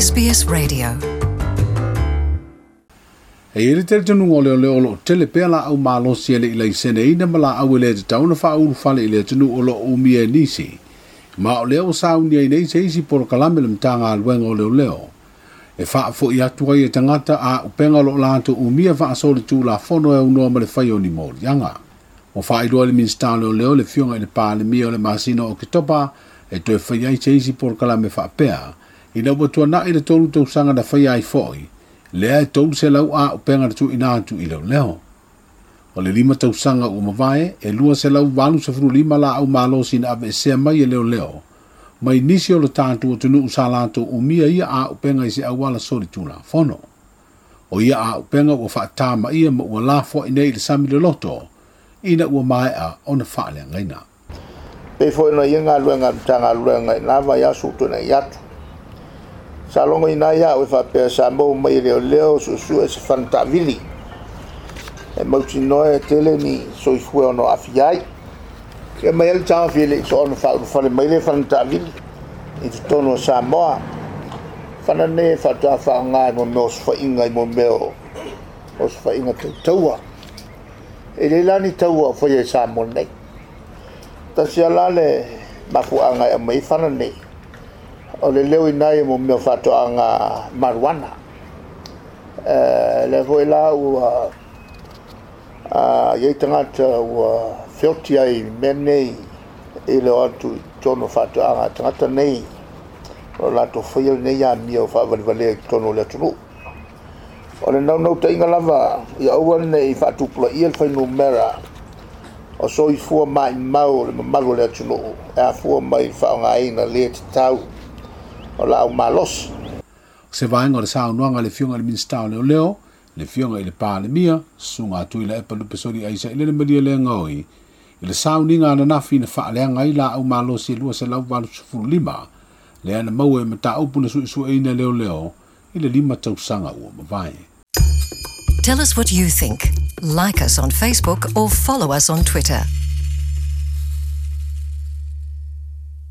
SBS Radio. E i ai le talitonuga o leoleo o lo o tele pea laau malosi e le i laiseneina ma laau e le tatau ona faaulufale i le atunuu o lo o umia e nisi. Ma o lea ua saunia ai nei se isi polokalame le Matagaluega o Leoleo e faafoi atu ai e tagata a upega o lo o latou umia faasolitulafono e aunoa ma le fai o ni moliaga. Ua faailoa le Minisita o Leoleo le Afioga i le Palemia o le masina o Oketopa e toe fai ai se isi polokalame faapea ina ua tuanai le 3 tausaga na faia ai foi lea e 300 a upega na tuuina atu i leoleo. O le 5 tausaga ua mavae e 285 laau malosi na aveesea mai e leoleo mai nisi o le tatou atunuu sa latou umia ia a upega i se auala solitulafono. O ia a upega ua faatamaia ma ua lafoai nei i le sami loloto ina ua maea ona faaleagaina. Pei foi ona ia galuega a le Matagaluega i na vaiaso ua tuanai atu. Sa logoina ai au e faapea sa maua mai e leoleo suesue se fana taavili e mautinoa e tele ni soifua ono aafia ai. Ia mai ai le taofi e le i soona faaulufale mai le fana taavili i totonu o Samoa. Fana nei e faatoa faaaoga i mo mea o osofaiga i mo mea o osofaiga tautaua. E le la ni taua o faia i Samoa nei. Tasi lava la le mafuaaga e aumai ai fana nei, o le leo i nai mo mea o faatoaga mariuana. Lea foi la ua iai tagata ua feoti ai i mea nei i le o atu i totonu o faatoaga a tagata nei o latou faia lenei amio faavalevalea i totonu o le atunuu. O le naunautaiga lava ia aua nei faatupulaia le fuainumera o soifua maimau o le mamalu o le atunuu e afua mai i le faaaogaina le tatau o laau malosi. O se vaega o le saunoaga a le Afioga i le Minisita o Leoleo, le Afioga i le Palemia, Susuga Tuilaepa Lupesoli Aisailele Malielegaoi, i le sauniga ananafi na faaleaga ai laau malosi e 285, lea na maua e mataupu na suesueina e leoleo i le 5 tausaga ua mavae. Tell us what you think. Like us on Facebook or follow us on Twitter.